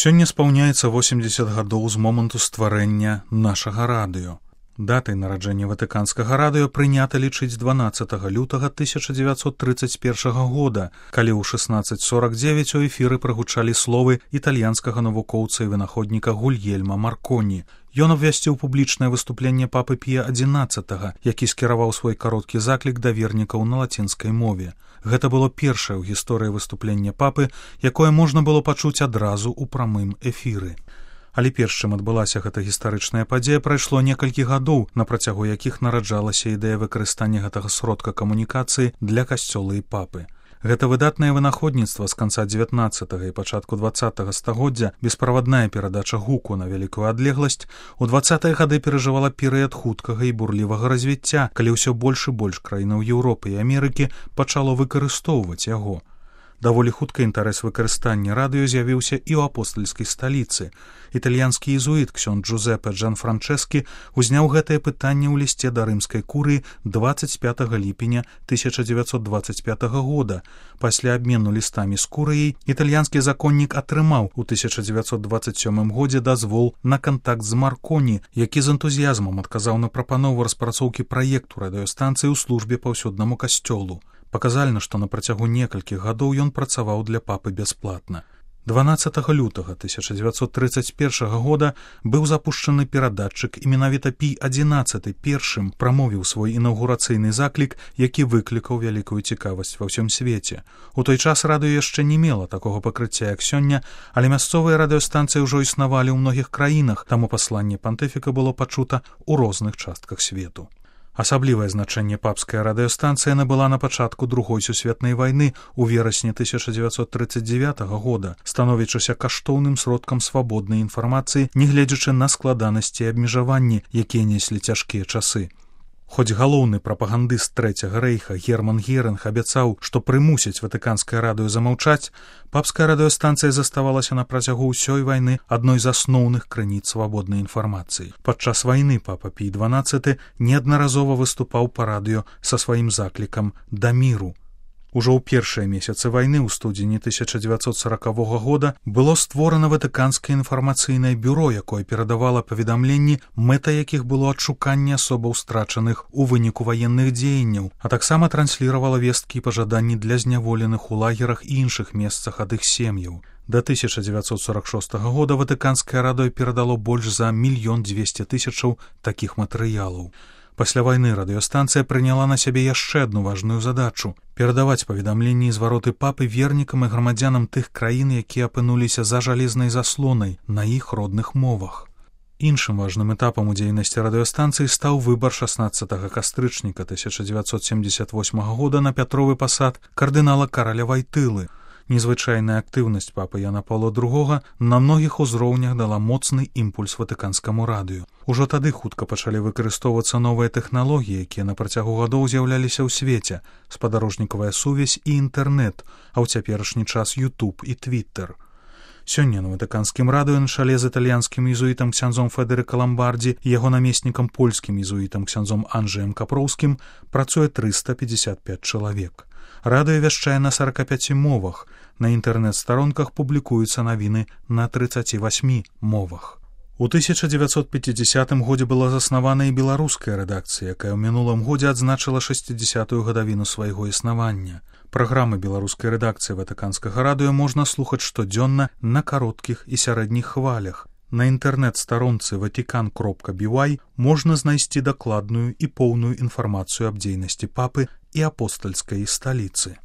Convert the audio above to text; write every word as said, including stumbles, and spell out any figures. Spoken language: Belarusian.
Сёння спаўняецца восемьдесят гадоў з моманту стварэння нашага радыё. Датай нараджэння ватыканскага радыё прынята лічыць дванаццатага лютага тысяча дзевяцьсот тридцать першага года, калі ў шестнадцать сорок девять у эфіры прагучалі словы італьянскага навукоўца і вынаходніка Гульельма Марконі. Ён абвясціў публічнае выступленне папы Пія адзінаццатага, які скіраваў свой кароткі заклік да вернікаў на лацінскай мове. Гэта было першае ў гісторыі выступлення папы, якое можна было пачуць адразу ў прамым эфіры. Але перш чым адбылася гэта гістарычная падзея, прайшло некалькі гадоў, на працягу якіх нараджалася ідэя выкарыстання гэтага сродка камунікацыі для касцёла і папы. Гэта выдатнае вынаходніцтва з канца дзевятнаццатага і пачатку дваццатага стагоддзя, бесправадная перадача гуку на вялікую адлегласць, у дваццатыя гады перажывала перыяд хуткага і бурлівага развіцця, калі ўсё больш і больш краінаў Еўропы і Амерыкі пачало выкарыстоўваць яго. Даволі хутка інтарэс выкарыстання радыё з'явіўся і ў апостальскай сталіцы. Італьянскі езуіт ксёнд Джузепе Джанфранчэскі узняў гэтае пытанне ў лісце да рымскай курыі дваццаць пятага ліпеня тысяча дзевяцьсот дваццаць пятага года. Пасля абмену лістамі з курыяй італьянскі законнік атрымаў у тысяча дзевяцьсот дваццаць сёмым годзе дазвол на кантакт з Марконі, які з энтузіязмам адказаў на прапанову распрацоўкі праекту радыёстанцыі ў службе паўсюднаму касцёлу. Паказальна, што на працягу некалькіх гадоў ён працаваў для папы бясплатна. дванаццатага лютага тысяча дзевяцьсот тридцать першага года быў запушчаны перадатчык, і менавіта Пій адзінаццаты першым прамовіў свой інаўгурацыйны заклік, які выклікаў вялікую цікавасць ва ўсім свеце. У той час радыё яшчэ не мела такога пакрыцця, як сёння, але мясцовыя радыёстанцыі ўжо існавалі ў многіх краінах, таму пасланне пантыфіка было пачута ў розных частках свету. Асаблівае значэнне папская радыёстанцыя набыла на пачатку другой сусветнай вайны у верасні тысяча дзевяцьсот тридцать девятага года, становячыся каштоўным сродкам свабоднай інфармацыі, нягледзячы на складанасці і абмежаванні, якія неслі цяжкія часы. Хоць галоўны прапагандыст Трэцяга рэйха Герман Герынг абяцаў, што прымусіць ватыканскае радыё замаўчаць, папская радыёстанцыя заставалася на працягу ўсёй вайны адной з асноўных крыніц свабоднай інфармацыі. Падчас вайны папа Пій дванаццаты неаднаразова выступаў па радыё са сваім заклікам да міру. Ужо ў першыя месяцы вайны ў студзені тысяча дзевяцьсот сорокавога года было створана ватыканскае інфармацыйнае бюро, якое перадавала паведамленні, мэта якіх было адшуканне асобаў страчаных у выніку ваенных дзеянняў, а таксама трансліравала весткі і пажаданні для зняволеных у лагерах і іншых месцах ад іх сем'яў. Да тысяча дзевяцьсот сорок шостага года ватыканскае радыё перадало больш за мільён дзвесце тысячаў такіх матэрыялаў. Пасля вайны радыёстанцыя прыняла на сябе яшчэ адну важную задачу – перадаваць паведамленні і звароты папы вернікам і грамадзянам тых краін, якія апынуліся за жалезнай заслонай на іх родных мовах. Іншым важным этапам у дзейнасці радыёстанцыі стаў выбар шаснаццатага кастрычніка тысяча дзевяцьсот семьдесят восьмага года на Пятровы пасад кардынала Караля Вайтылы. Незвычайная актыўнасць папы Яна Паўла другога на многіх узроўнях дала моцны імпульс ватыканскаму радыё. Ужо тады хутка пачалі выкарыстоўвацца новыя тэхналогіі, якія на працягу гадоў з'яўляліся ў свеце, спадарожнікавая сувязь і інтэрнэт, а ў цяперашні час YouTube і Twitter. Сёння на ватыканскім радыё на чале з італьянскім езуітам ксяндзом Федэрыка Ламбардзі і яго намеснікам польскім езуітам ксяндзом Анджэем Капроўскім працуе трыста пятьдесят пять чалавек. Радыё вяшчае на сорока пяти мовах, на інтэрнэт-старонках публікуюцца навіны на тридцати восьми мовах. У тысяча дзевяцьсот пяцідзясятым годзе была заснавана і беларуская рэдакцыя, якая ў мінулым годзе адзначыла шэсцідзесятую гадавіну свайго існавання. Праграмы беларускай рэдакцыі ватыканскага радыё можна слухаць штодзённа на кароткіх і сярэдніх хвалях. На інтэрнэт-старонцы ватикан кропка би вай можна знайсці дакладную і поўную інфармацыю аб дзейнасці папы і апостальскай сталіцы.